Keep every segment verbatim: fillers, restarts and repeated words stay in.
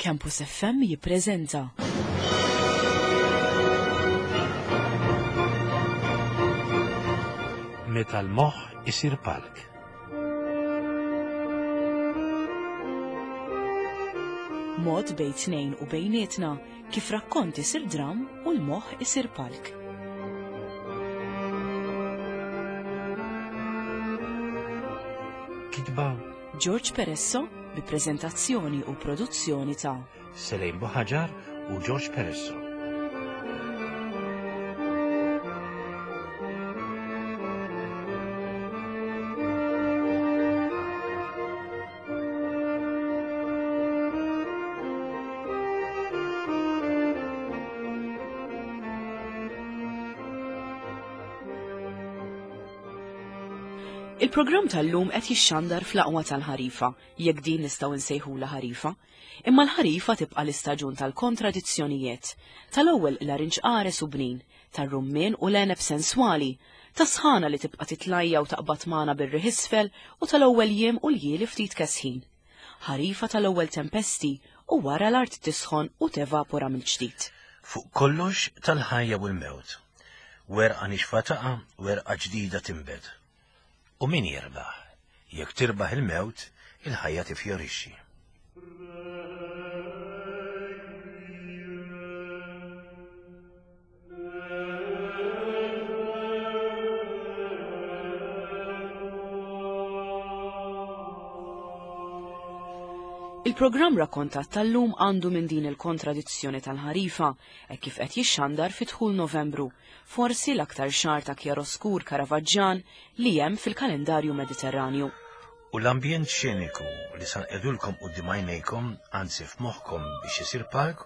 Campus F M jippreżenta Meta l-moħħ isir palk. Mod bejn tnejn u bejnietna kif rakkont isir dram u l-moħħ isir palk. Kitba George Peresso bi preżentazzjoni u produzzjoni ta' Selejn Buħaġar u George Peresso. Il-programm tal-lum qed jixxandar fl-aqwa tal-ħarifa, jekk din nistgħu nsejħulha ħarifa. Imma l-ħarifa tibqa' l-istaġun tal-kontradizzjonijiet, tal-ewwel l-arinġ qares u bnin, tar-rummien u l-għeneb senswali, tas-sħana li tibqa' titlajja u taqbad magħna bir-riħ isfel u tal-ewwel jiem u ljieli ftit kesħin. Ħarifa tal-ewwel tempesti u wara l-art tisħon u tevapora mill-ġdid. Fuq kollox tal-ħajja u l-mewt. Werqa nixfa taqa', werqa ġdida tinbet. U min jirbaħ? Jekk tirbaħ il-mewt, il-ħajja tifjorixxi. Il-programm rakkontat tal-lum għandu minn din il-kontradizzjoni tal-ħarifa, e kif qed jixxandar fi dħul Novembru, forsi l-aktar xahar ta' kjaroskur Karavaġġan li hemm fil-kalendarju Mediterranju. U l-ambjent xeniku li san edulkom quddiem għajnejkom, anzi f'moħħkom biex isir palk,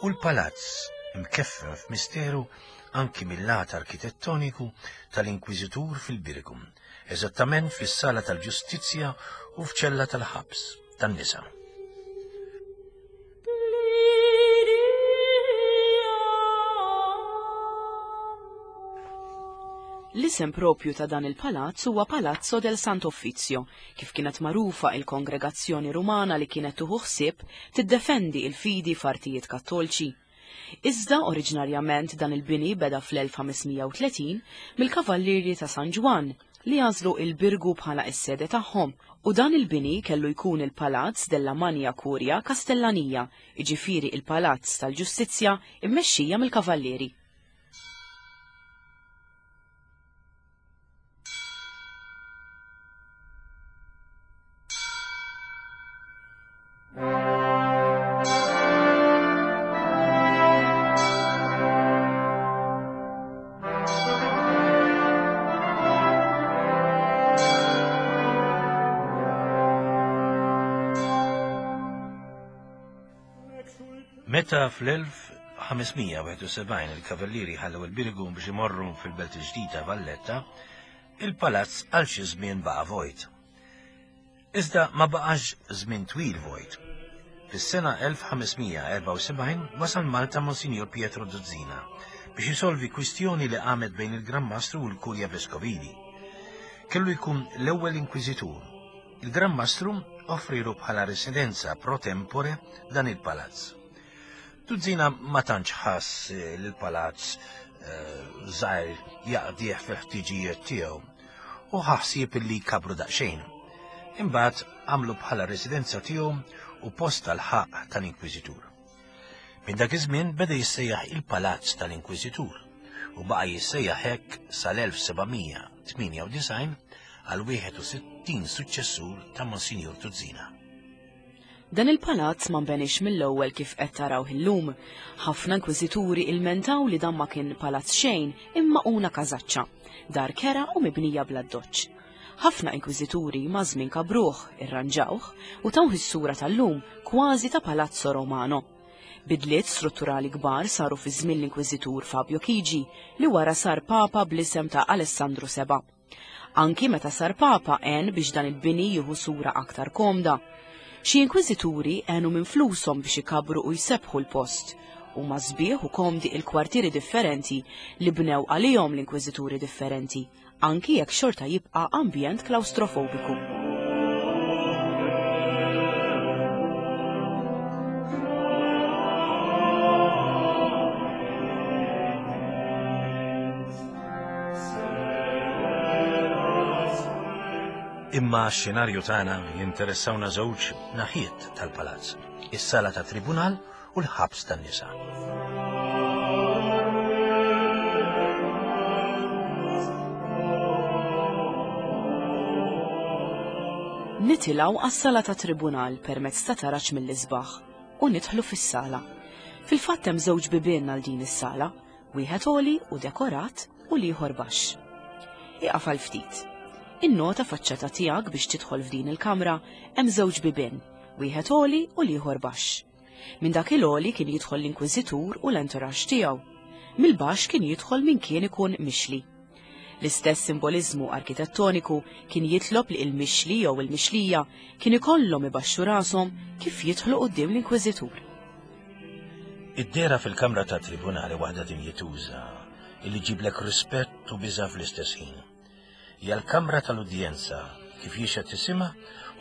u l-palazz imkeffen f'misteru anki mill-lat arkitettoniku tal-Inkwiżitur fil-Birgu, eżattament fis-sala tal-Ġustizzja u f'ċella tal-ħabs tan-nisa. L-isem propju ta' dan il-palazz huwa Palazzo del Sant'Uffizio, kif kienet magħrufa il-kongregazzjoni Rumana li kienet tuħu ħsieb tiddefendi il-fidi f'artijiet kattolċi. Iżda oriġinarjament dan il-bini beda fl-elf ħamesmija u tletin mill-Kavallieri ta' San Ġwann li għażlu il-Birgu bħala s-sede tagħhom, u dan il-bini kellu jkun il-Palazz della Magna Curia Castellania, jiġifieri il-Palazz tal-Ġustizzja immexxija mill-Kavallieri. Meta fl-elf ħamesmija wieħed u sebgħin il-Kavallieri ħallew il-Birgu biex imorru fil-Belt il-Ġdida Valletta, il-palazz għal xi żmien baqa' vojt. Iżda ma baqax żmien twil vojt. Fis-sena elf ħamesmija erbgħa u sebgħin wasal Malta Monsinjur Pietro Duzzina biex jisolvi kwistjoni li qamet bejn il-Gran Mastru u l-Kurja Veskovili. Kellu jkun l-ewwel inkwiżitur. Il-Gran Mastru offrilu bħala residenza pro tempore dan il-palazz. Duzzina ma tantx ħass li l-palazz, eh, żgħir jaqdih fil-ħtiġijiet tiegħu u ħassieb li jkabru daqsxejn. Imbagħad għamlu bħala residenza tiegħu u post tal-ħaqq tal-Inkwiżitur. Minn dak iż-żmien beda jissejjaħ il-Palazz tal-Inkwiżitur u baqa' jissejjaħ hekk sal-elf sebgħamija tmienja u disgħin għal wieħed u sittin suċċessur ta' Monsinjur Tuzzina. Dan il-palazz ma nbenix mill-ewwel kif qed taraw illum. Ħafna inkwiżituri ilmentaw li dan ma kien palazz xejn imma una każaċċa, dar kera u mibnija bl-addoċċ. Ħafna inkwiżituri ma' żmien kabruh, irranġawh u tawh is-sura tal-lum kważi ta' Palazzo Romano. Bidliet strutturali kbar saru fi żmien l-Inkwiżitur Fabio Chigi li wara sar Papa bl-isem ta' Alessandro Seba. Anki meta sar Papa għen biex dan il-bini jieħu sura aktar komda. Xi inkwiżituri għenu minn flushom biex ikabru u jsebħu l-post, u ma sbieħ u komdi il-kwartieri differenti li bnew għalihom l-inkwiżituri differenti, anki jekk xorta jibqa' ambjent klaustrofobiku. Imma x-xenarju tagħna jinteressawna żewġ naħiet tal-palazz, is-sala ta' tribunal u l-ħabs tan-nisa. Nitilgħu għas-sala ta' tribunal permezz ta' taraġ mill-isbaħ u nidħlu fis-sala. Fil-fatt hemm żewġ bibien għal din is-sala, wieħed għoli u dekorat u l-ieħor baxx. Ieqaf għal ftit. In-nota faċċata tiegħek biex tidħol f'din il-kamra hemm żewġ bibien, wieħed għoli u l-ieħor baxx. Minn dak il-għoli kien jidħol l-inkwiżitur u l-entourage tiegħu. Mill-baxx kien jidħol min kien ikun mixli. L-istess simboliżmu arkitettoniku kien jitlob li il-mixli jew il-mixlija kien ikollhom ibaxxu rashom kif jidħlu quddiem l-inkwiżitur. Id-dehra fil-kamra ta' tribunali waħda dinjituża illi ġiblek rispett u biża' fl-istess ħin. Hija l-kamra tal-udjenza kif jixhed isimha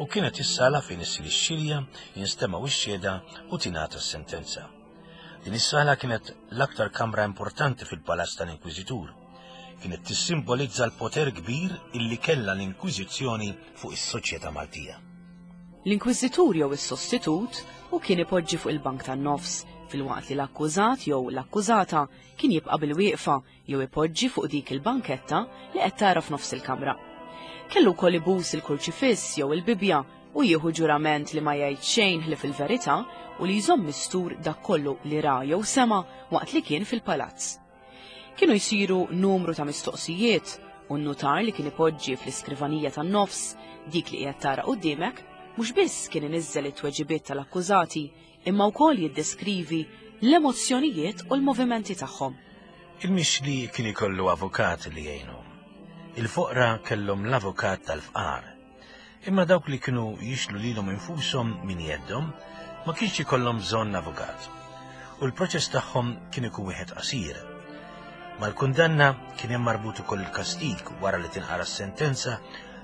u kienet is-sala fejn issir ix-xilja, jinstemgħu x-xhieda u tingħata s-sentenza. Din is-sala kienet l-aktar kamra importanti fil-palazz tal-Inkwiżitur. Kienet tissimbolizza l-poter kbir illi kellha l-Inkwiżizzjoni fuq is-soċjetà Maltija. L-Inkwiżitur jew is-sostitut u kien ipoġġi fuq il-bank tan-nofs, filwaqt li l-akkużat jew l-akkużata kien jibqa' bil-wieqfa jew ipoġġi fuq dik il-banketta li qed tara f'nofs il-kamra. Kellu wkoll ibus il-kurċifiss jew il-Bibbja u jieħu ġurament li ma jgħid xejn ħlief il-verità u li jżomm mistur dak kollu li ra jew sema waqt li kien fil-palazz. Kienu jsiru numru ta' mistoqsijiet u n-nutar li kien ipoġġi fl-iskrivanija tan-nofs, dik li qiegħed tara quddiemek, mhux biss kien iniżżel it-tweġibiet tal-akkużati, imma wkoll jiddeskrivi l-emozzjonijiet u l-movimenti tagħhom. Il-mixli kien ikollu avukat li jgħinu. Il-foqra kellhom l-avukat tal-fqar. Imma dawk li kienu jixlu lilhom infushom min jeddhom ma kienx ikollhom bżonn avukat. U l-proċess tagħhom kien ikun wieħed qasir. Mal-kundanna kien hemm marbut ukoll il-kastig wara li tinqara s-sentenza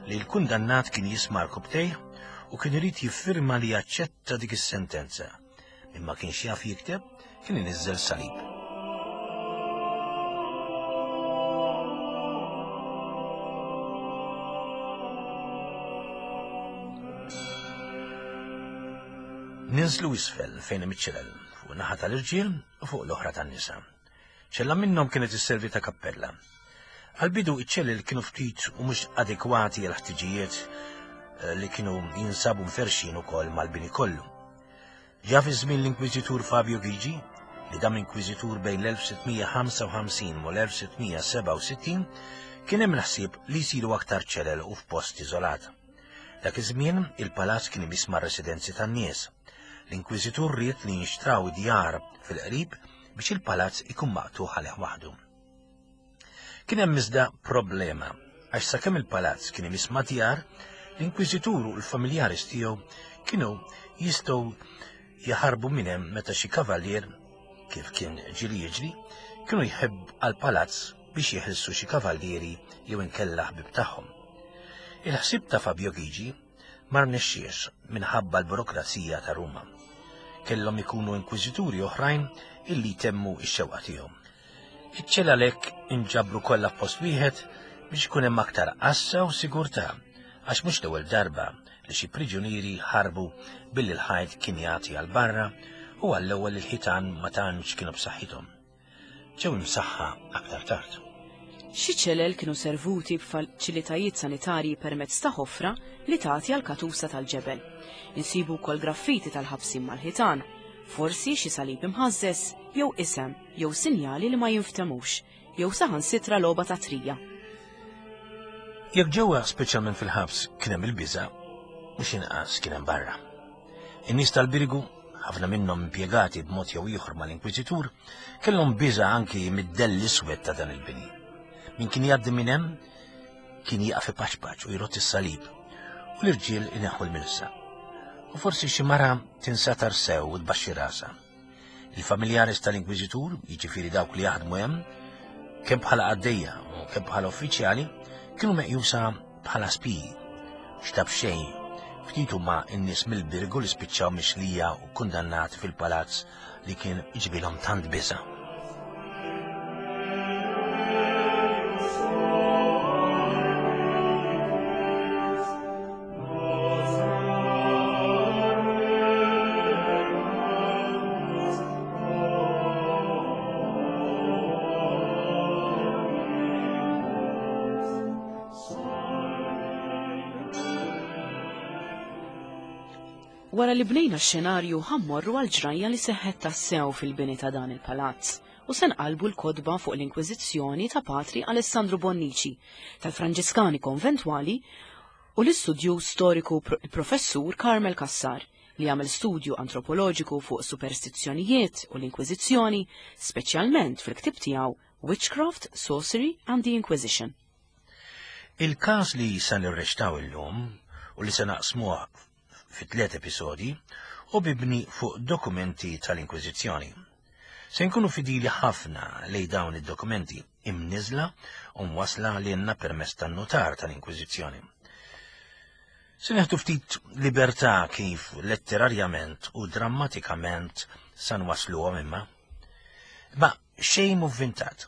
li l-kundannat kien jisma' rkubtejh u kien irid jiffirma li jaċċetta dik is-sentenza. Imma kienx jaf jikteb, kien iniżżel salib. Ninżlu isfel fejn hemm iċ-ċelel, fuq naħa tal-irġiel u fuq l-oħra tan-nisa. Ċella minnhom kienet isservi ta' kappella. Għal-bidu iċ-ċelel kienu ftit u mhux adekwati għal ħtiġijiet li kienu jinsabu mferxin ukoll mal-bini kollu. Ġa fi żmien l-Inkwiżitur Fabio Ghigi, li dam inkwiżitur bejn l-elf sittmija ħamsa u ħamsin u l-elf sittmija sebgħa u sittin, kien hemm l-ħsieb li jsiru aktar ċelel u f'post iżolat. Dak iż-żmien il-palazz kien imiss mar-residenzi tan-nies. L-Inkwiżitur ried li jinxtraw djar fil-qrib biex il-palazz ikun maqtuħ għalih waħdu. Kien hemm iżda problema, għax sakemm il-palazz kien imiss ma' djar, l-Inkwiżitur u l-familjaris tiegħu kienu jistgħu jaħarbu minn hemm meta xi kavallier, kif kien ġieli jiġri, kienu jħebb għall-palazz biex jeħilsu xi kavallieri jew inkella ħbieb tagħhom. Il-ħsieb ta' Fabio Ghigi ma rnexxiex minħabba l-burokrazija ta' Ruma. Kellhom ikunu inkwiżituri oħrajn illi jtemmu x-xewqa tiegħu. Iċ-ċelel għalhekk inġabru kollha f'post wieħed biex ikun hemm aktar għassa u sigurtà, għax mhux l-ewwel darba li xi priġunieri ħarbu billi l-ħajt kien jagħti għal barra u għall-ewwel il-ħitan ma tantx kienu b'saħħithom. Ġew imsaħħa aktar tard. Xi ċelel kienu servuti b'faċilitajiet sanitarji permezz ta' ħofra li tagħti għal katusa tal-ġebel. Insibu wkoll graffiti tal-ħabsin mal-ħitan, forsi xi salib imħażżeż jew isem jew sinjali li ma jinftemux, jew saħansitra logħba ta' trija. Jekk ġewwa speċjalment fil-ħabs kien hemm il-biża', mhux inqas kien hemm barra. In-nies tal-Birgu, ħafna minnhom impjegati b'mod jew ieħor mal-Inkwiżitur, kellhom biża' anki mid-dell iswed ta' dan il-bini. Min kien jgħaddi minn hemm kien jieqaf ipaċpaċ u jrott is-salib, u l-irġiel ineħħu l-milsa. U forsi xi mara tinsatar sew u tbaxxi rasha. Il-familjaris tal-Inkwiżitur, jiġifieri dawk li jaħdmu hemm, kemm bħala qaddejja u kemm bħala uffiċjali, kienu meqjusa bħala spiji. X'taf xejn, ftit huma n-nies mill-Birgu li spiċċaw mixlija u kundannati fil-palazz li kien iġibilhom tant biża'. Wara li bnejna x-xenarju ħa mmorru għal ġrajja li seħħet tassew fil-bini ta' dan il-palazz u se nqalbu l-kotba fuq l-Inkwiżizzjoni ta' Patri Alessandro Bonnici, tal-Franġiskani Konventwali u l-istudju storiku il-professur Carmel Cassar li għamel studju antropoloġiku fuq superstizzjonijiet u l-Inkwiżizzjoni, speċjalment fil-ktib tiegħu Witchcraft, Sorcery and the Inquisition. Il-każ li se nirreċtaw illum u li se naqsmuha fi tliet episodi u mibni fuq dokumenti tal-Inkwiżizzjoni. Se nkunu fidili ħafna lej dawn id-dokumenti imniżla u mwasla lilna permezz tan-notar tal-Inkwiżizzjoni. Se neħdu ftit libertà kif letterarjament u drammatikament sa nwasluhom imma. Ma xejn mhu vvintat.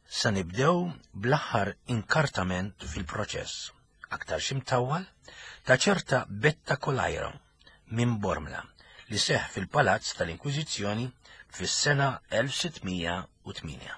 Sa nibdew bl-aħħar inkartament fil-proċess, aktar ximtawwal, ta' ċerta Betta Colajro minn Bormla li seħ fil-Palazz tal-Inkwiżizzjoni fis-sena elf sittmija u tmienja.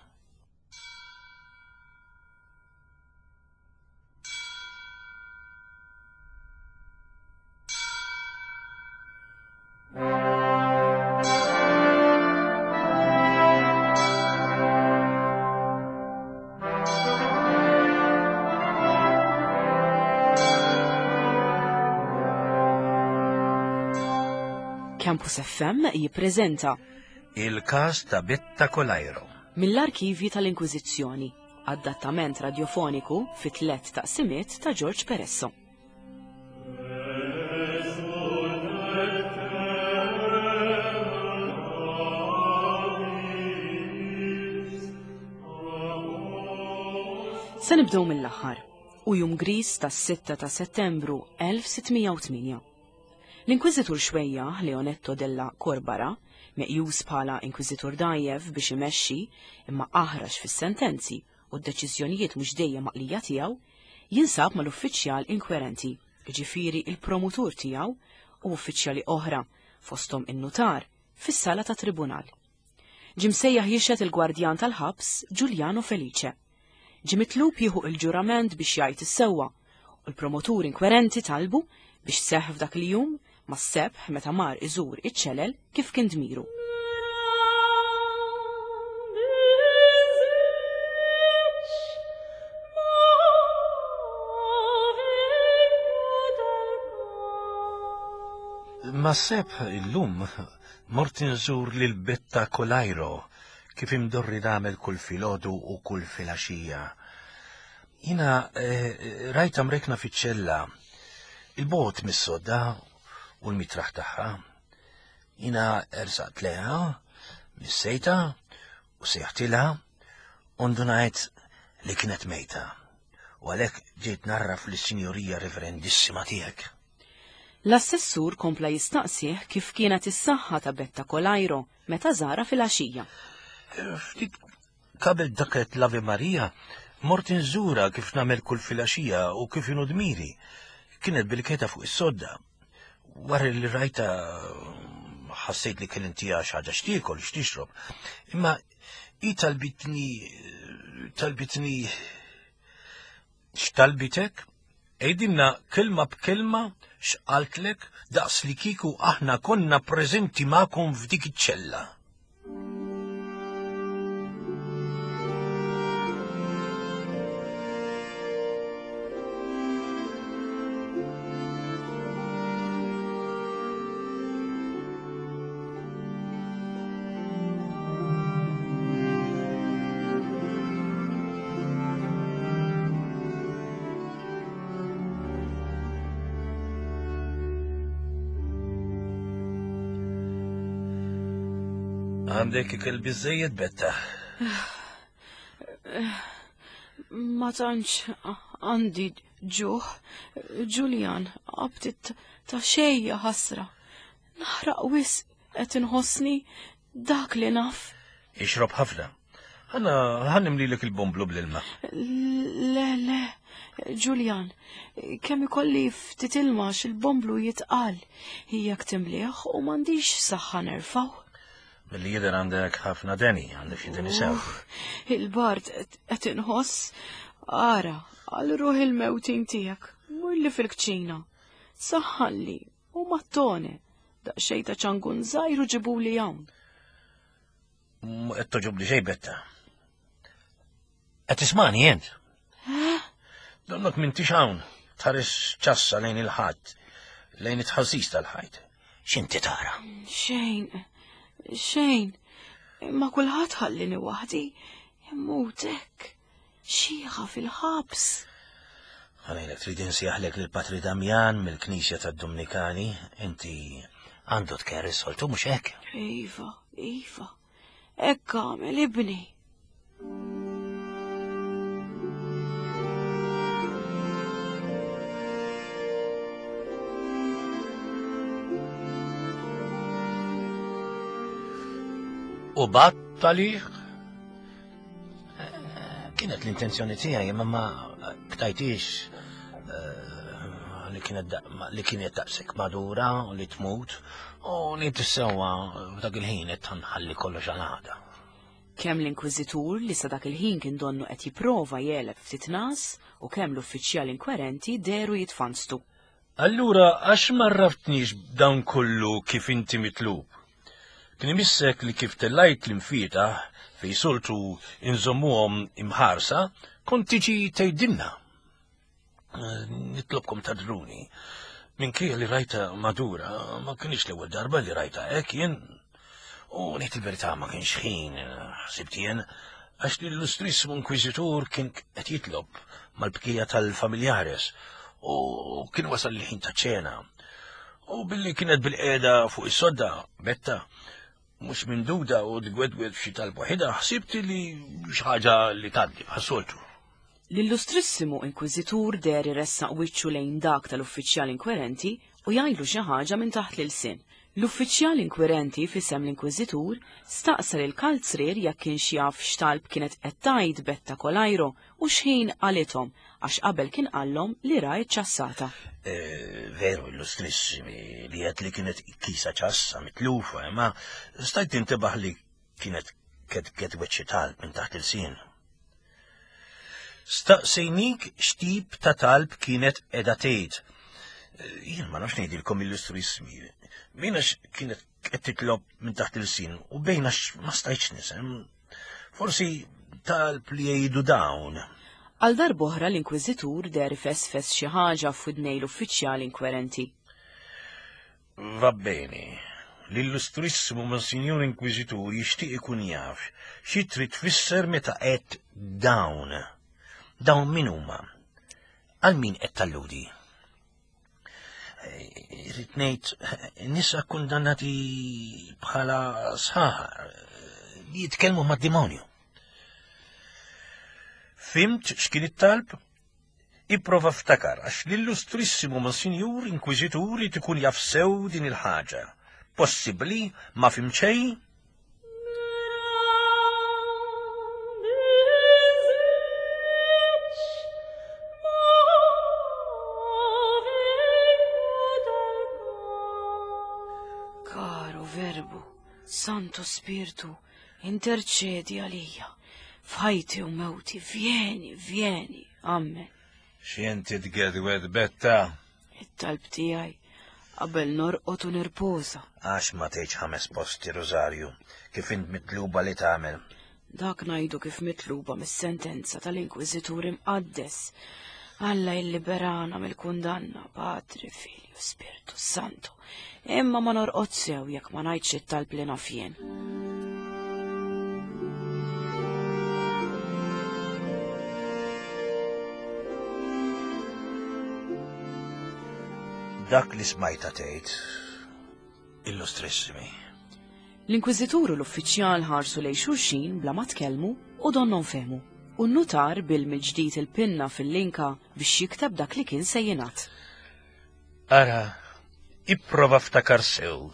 Campus F M jippreżenta Il-każ ta' Betta Colajro mill-arkivji tal-Inkwiżizzjoni, adattament radiofoniku fi tliet taqsimiet ta' George Peresso. Se nibdew mill-aħħar u jum gris tas-sitta ta' Settembru elf sittmija u tmienja. L-Inkwiżitur xwejjaħ Leonetto della Corbara, meqjus bħala Inkwiżitur dajjef biex imexxi imma aħrax fis-sentenzi u d-deċiżjonijiet mhux dejjem maqlija tiegħu, jinsab mal-uffiċjal inkwerenti, jiġifieri il-promutur tiegħu u uffiċjali oħra, fosthom in-nutar, fis-sala ta' tribunal. Ġie msejjaħ jixhed il-gwardjan tal-ħabs Giuliano Felice. Ġie mitlub jieħu il-ġurament biex jgħid is-sewwa u l-promotur inkwerenti talbu biex seħħ f'dak il-jum ma' sebħ meta mar iżur iċ-ċelel kif kien dmiru. Ma' sebħ illum mort inżur lil Betta Colajro kif imdorri nagħmel kull filgħodu u kull filgħaxija. Jiena, eh, rajta mrekna fiċ-ċella, il-bogħod mis-sodda u l-mitraħ tagħha. Jiena ersaqt leha, missejta u sejħtilha u ndunajt li kienet mejta. U għalhekk ġejt narraf lis-Sinjorija Reverendissima tiegħek. L-assessur kompla jistaqsih kif kienet is-saħħa ta' Betta Colajro meta żara fil-għaxija. Ftit qabel daket l-Ave Maria, mort inżura kif nagħmel kull filgħaxija u kif inhu dmiri. Kienet bil-keta fuq is-sodda. Wara li rajta ħassejt li kien intija xi ħaġa x'tiekol, x'tixrob. Imma hi talbitni, talbitni x'talbitek? Għidilna kelma b'kelma x'qaltlek daqs li kieku aħna konna preżenti magħkom f'dik iċ-ċella. Għandek ikel biżżejjed, Betta? Ma tantx għandi ġuħ, Julian, qabtit ta' xejja ħasra. Naħraq wisq qed inħossni dak li naf. Ixrob ħafna. Ħana ħanimlilek il-bomblu bl-ilma. Le, le, Julian, kemm ikolli ftit ilma x'il-bomblu jitqal. Hija timliħ u m'għandix saħħa nerfgħu. Billi jidher għandek ħafna deni, għandek xi deni sew. Uff, il-bard qed inħoss, ara, għal ruħ il-mewtin tiegħek, mur li fil-kċina. Saħħalli u mattone. Daqsxejn ta' ċangun żgħir u ġibuli hawn. Mhu qed togħġobni xejn Betta. Qed tismani int? Donnok m'intix hawn, tħares ċassa lejn il-ħadd, lejn it-tħażżiż tal-ħajt. X'inti tara? Xejn, xejn. Imma kulħadd ħallini waħdi. Immut hekk. Xieħa fil-ħabs. Ħa ngħidlek trid insejjaħlek lil Patri Damjan mill-Knisja tad-Dominikani, inti għandu tkerr is-soltu mhux hekk? Iva, iva. Hekk għamel ibni. U bat għalih? Kienet l-intenzjoni tiegħi imma ma ktajtix eh, li kienet li kienet daqshekk madura u li tmut u li tissewwa f'dak il-ħin qed nħalli kollox għal għada. Kemm l-inkwiżitur li sa dak il-ħin kien donnu qed jipprova jegħleb ftit nas u kemm l-uffiċjal inkwerenti dehru jitfanstu. Allura għax ma għarraftnix dawn kollu kif inti mitlub? Kien imissek li kif tellajt l-imfietaħ fej soltu inżommuhom imħarsa, kont tiġi tgħidilna. Nitlobkom tagħdruni. Minkejja li rajta madura, ma kienx l-ewwel darba li rajta hekk jien. U ngħid il-verità ma kienx ħin, ħsibt jien, għax l-illustrissimu inkwiżitur kien qed jitlob mal-bqija tal-familjares u kien wasal il-ħin ta' ċena. U billi kienet bilqiegħda fuq is-sodda, Betta, mhux minduda u tgwedwed f'xi talba waħidha, ħsibt li xi ħaġa li tgħaddi bħas-soltu. L-illustrissimu inkwiżitur deher iressaq wiċċu lejn dak tal-uffiċjal inkwerenti u jgħidlu xi ħaġa minn taħt l-ilsien. L-uffiċjal inkwerenti f'isem l-inkwiżitur staqsa lil kalzrier jekk kienx jaf x'talb kienet qed tgħid Betta Kolajro u x'ħin qalithom għax qabel kien qallhom li ra ċassata. Eh, veru, illustrissimi, li għedt li kienet kisa ċassa mitlufa, imma stajt tintebaħ li kienet ket xi talb minn taħt il-sien. Staqsejnik x'tip ta' talb kienet qiegħda tgħid. Eh, Jien ma nafx ngħidilkom illustrissimi. Bejn għax kienet qed titlob minn taħt il-sin u bejn għax ma stajtx nisem. Forsi talb li jgħidu dawn. Għal darb'oħra l-inkwiżitur deher ifesfes xi ħaġa f'widnej l-uffiċjal inkwerenti. Va bene. L-illustrissimu Monsignor Inkwiżitur jixtieq ikun jaf xi trid tfisser meta qed dawn. Dawn min huma? Għal min qed talludi? Irrid ngħid nisa kundannati bħala sħaħar li jitkellmu mad-demonju. Fhimt x'kien it-talb? Ipprova ftakar għax l-illustrissimu Monsinjur Inkwiżitur irid ikun jaf sew din il-ħaġa. Possibbli ma fhimt xejn? Caro Verbo, Santo Spirtu, interċedi għalija. F'ħajti u mewti, vieni, vieni, amen. X'inti tgedwed Betta? It-talb tiegħi qabel norqod u nirposa. Għax ma tgħidx ħames posti Rosario, kif int mitluba li tagħmel. Dak ngħidu kif mitluba mis-sentenza tal-Inkwiżitur imqaddes. Alla jilliberana mill-kundanna, Patri, Filju, Spiritu Santo. Imma ma norqod sew jekk ma ngħidx it-talb li naf jien. Dak li smajta tgħid, illustrissimi. L-Inkwiżitur u l-uffiċjal ħarsu lejn xulxin bla ma tkellmu u donnhom fehmu. U n-nutar bill mill-ġdid il-pinna fil-linka biex jikteb dak li kien se jingħad. Ara, ipprova ftakar sew.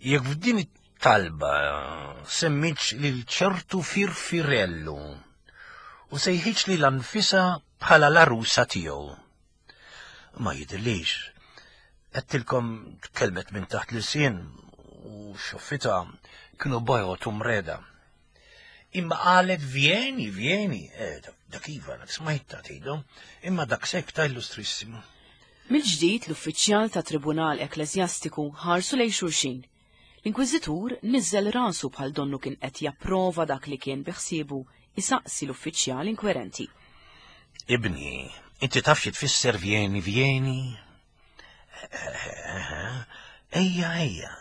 Jekk f'din it-talba semmitx lil ċertu Firfirellu u sejħitx lilha nfisha bħala l-arusa tiegħu. Ma jidhirlix. Għedtilkom tkellmet minn taħt l-ilsien u xoffita kienu bojod u mreda. Imma qalet vieni, vieni, eh, dak iva, dak smajta tgħidu, imma dak sekta illustrissimu. Mill-ġdid l-uffiċjal ta' Tribunal Ekklesjastiku ħarsu lejn xulxin. L-Inkwiżitur niżel rasu bħal donnu kien qed japprova dak li kien biħsiebu isaqsi l-uffiċjal inkwerenti. Ibni, inti taf xi tfisser vieni vieni? Ejja, ejja.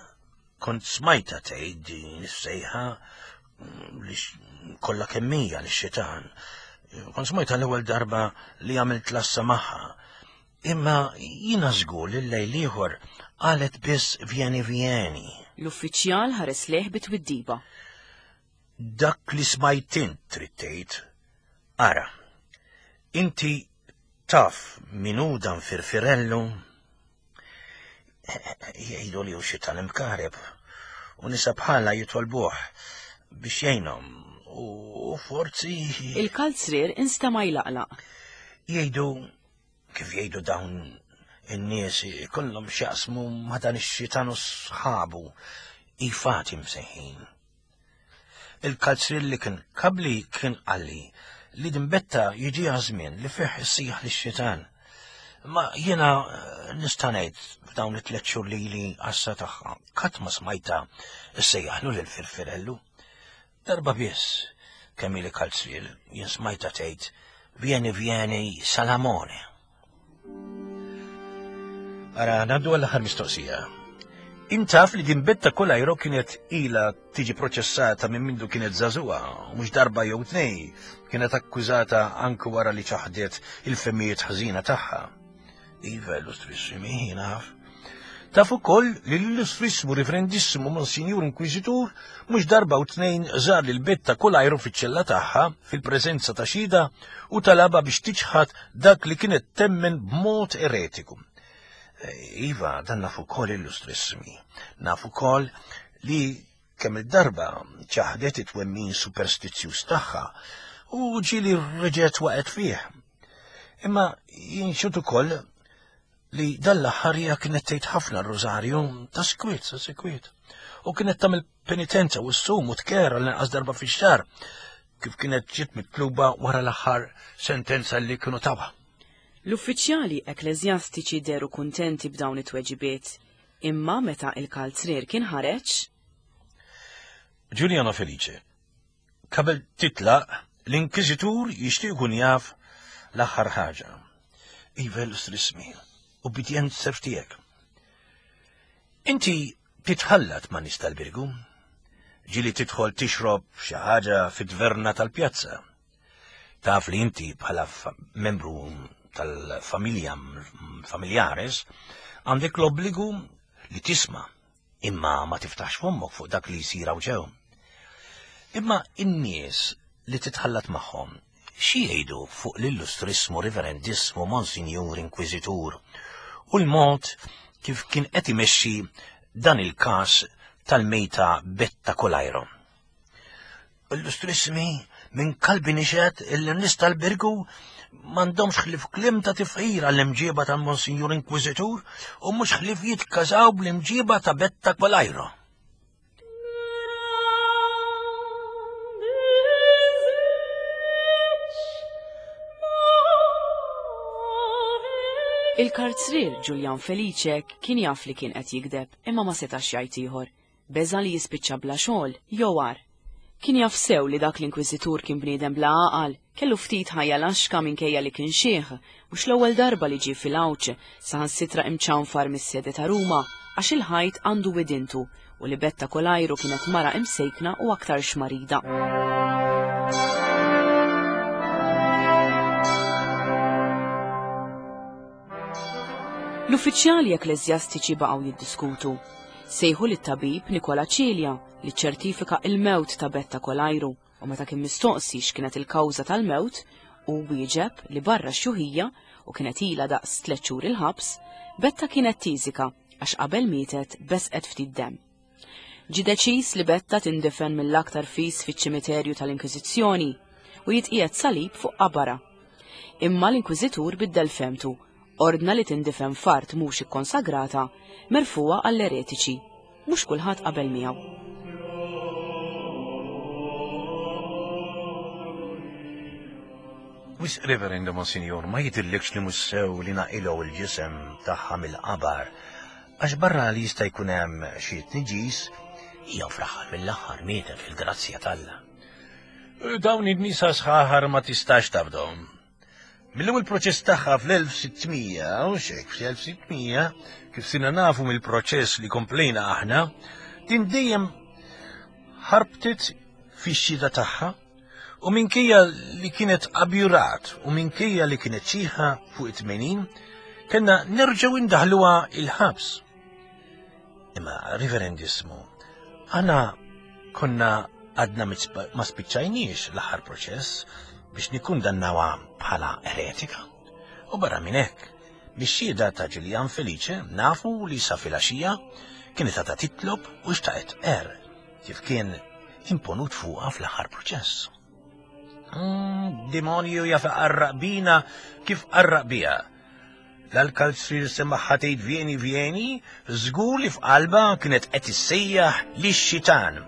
Kont smajta tgħid din is-sejħa li kollha kemm hija lix-xitan. Kont smajta l-ewwel darba li għamilt lassa magħha. Imma jiena żgur li l-lejl ieħor qalet biss vieni vieni. L-uffiċjal ħares lejh bitwiddiba. Dak li smajt int trid tgħid. Ara, inti taf min hu dan Firfirellu? Jgħidu li hu xitan imkareb u nisa bħala jitolbuh biex jgħinhom u forzi. Il-kalzrier instema' jlaqlaq. Jgħidu kif jgħidu dawn in-nies ikollhom x'jaqsmu ma' dan ix-xitan u sħabu ifati msejħin. Il-kalzrier li kien kabli kien qalli li din Betta jiġiha żmien li fih issejjaħ lix-xitan. Ma jiena nista' ngħid f'dawn it-tliet xhur li li għassa tagħha qatt ma smajta issejjaħlu lil Firfirellu. Darba biss kemm ili kalzrier jien smajta tgħid vieni vieni Salamone. Ara, ngħaddu għall-aħħar mistoqsija. Intaf li din Betta Kolajro kienet ila tiġi proċessata minn mindu kienet żagħżugħa, u mhux darba jew tnej, kienet akkużata anke wara li ċaħdet il-femijiet ħażina tagħha. Iva, illustrissimi, naf. Taf ukoll li l-illustrissimu reverendissimo Monsignor Inkwiżitur mhux darba u tnejn żar lil Betta Kolajro fiċ-ċella tagħha fil-preżenza ta' xhieda u talabha biex tiċħad dak li kienet temmen b'mod eretiku. Iva, dan naf ukoll illustrissimi. Naf ukoll li kemm il-darba ċaħdet it-twemmin superstizzjuż tagħha u ġieli reġgħet waqgħet fih. Imma jinxut ukoll li dan l-aħħar hija kienet tgħid ħafna r-rożarju ta' sikwiet sa' sikwiet. U kienet tagħmel penitenza u ssum u tkera l-inqas darba fix-xahar kif kienet ġiet mitluba wara l-aħħar sentenza li kienu tawha. L-uffiċjali ekklesjastiċi deru kuntenti b'dawn it-tweġibiet, imma meta il-kalzrier kien ħareġ. Giuliano Felice, qabel titlaq l-Inkwiżitur jixtieq ikun jaf l-aħħar ħaġa. Iva, illustrissimi, ubbidjent serv tiegħek. Inti titħallat ma' nies tal-Birgu, ġieli tidħol tixrob xi ħaġa fit-tverna tal-pjazza. Taf li inti bħala membru tal-familja familjares għandek l-obbligu li tisma' imma ma tiftaħx fommok fuq dak li jsir hawn ġew. Imma in-nies li titħallat magħhom xi jgħidu fuq l-illustrissmu reverendissmu Monsignor Inkwiżitur u l-mod kif kien qed imexxi dan il-każ tal-mejta Betta Kolajro. Illustrissimi, minn kalbi nixed il-nies tal-Birgu m'għandhomx ħlief kliem ta' tifħir għall-imġieba tal-Monsignor Inkwiżitur u mhux ħlief jitkażaw bl-imġieba ta' Betta Kolajro. Il-karzrier Giulian Felice kien jaf li kien qed jigdeb imma ma setax jgħid ieħor. Beża li jispiċċa bla xogħol jew agħar. Kien jaf sew li dak l-inkwiżitur kien bniedem bla għaqal, kellu ftit ħajja laxka minkejja li kien xieħ, mhux l-ewwel darba li ġie fil-Għawġ, saħansitra imċanfar mis-sede ta' Ruma għax il-ħajt għandu widintu u li Betta Kolajru kienet mara imsejkna u aktar xmarida. L-uffiċjali ekklesjastiċi baqgħu jiddiskutu. Sejħu lit-tabib Nikola Cilia li ċertifika il-mewt ta' Betta Kolajru u meta kien mistoqsi x'kienet il-kawża tal-mewt u wieġeb li barra xjuħija u kienet ilha daqs tliet xhur il-ħabs, Betta kienet tiżika għax qabel mietet besqet ftit demm. Ġie deċiż li Betta tindifen mill-aktar fis fiċ-ċimiterju tal-Inkwiżizzjoni u jitqiegħed salib fuq qabara. Imma l-Inkwiżitur biddel femtu, ordna li tindifen f'art mhux ikkonsagrata merfuha għall-eretiċi. Mhux kulħadd qabel miegħu. Wisq Reverendo Monsignor, ma jidhirlikx li mhux sew li naqilgħu il-ġisem tagħha mill-qabar, għax barra li jista' jkun hemm xi tniġis, hija fl-aħħar mill-aħħar mietet fil-grazzja t'Alla. Dawn in-nisa sħaħar ma tistax tafdahom. Mill-ewwel proċess tagħha fl-elf sittmija, u xek fl-elf sittmija, kif sirna nafu mill-proċess li komplejna aħna, din dejjem ħarbtet fix-xhieda tagħha, u minkejja li kienet abjurat u minkejja li kienet xieħa fuq it-tmenin, kellna nerġgħu indaħluha il-ħabs. Imma, Reverendissmu, aħna konna għadna ma spiċċajniex l-aħħar proċess biex nikkundannawha bħala eretika. U barra minn hekk, mix-xhieda ta' Ġiljan Felice nafu li sa filgħaxija kienet għadha titlob u xtaqet er kif kien imponut fuqha fl-aħħar proċess. Mm, demonju jaf qarraq bina kif qarraq biha. L-kalzrier semagħha tgħid vieni vieni, żgur li f'qalba kienet qed issejjaħ lix-xitan.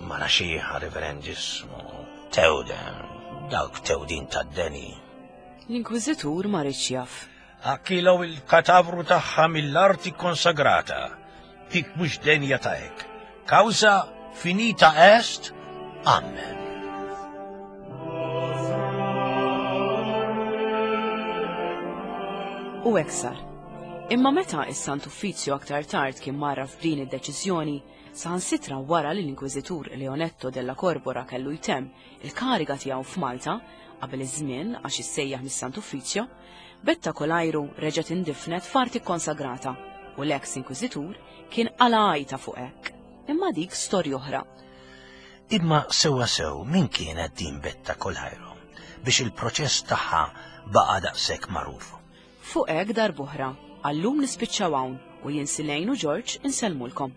Mara xieħa, Reverendissmu, tewden, dawk tewdin tad-deni. L-Inkwiżitur ma riedx jaf. Akkilaw il-katavru tagħha mill-arti konsagrata. Dik mhux denja ta' hekk. Causa finita est, amen. U hekk sar. Imma meta is-Sant Uffizzju aktar tard kien marra f'din id-deċiżjoni, saħansitra wara li l-Inkwiżitur Leonetto della Corbora kellu jtemm il-kariga tiegħu f'Malta qabel iż-żmien għax issejjaħ mis-Sant Uffizzju, Betta Kolajru reġgħet indifnet f'arti konsagrata u l-eks Inkwiżitur kien qala għajta fuq hekk. Imma dik storja oħra. Imma sewwa sew min kienet din Betta Kolajru biex il-proċess tagħha baqa' daqshekk magħruf. Fuq hekk darb'oħra, għallum nispiċċaw hawn u jien Silejn u Ġorġ insellmulkom.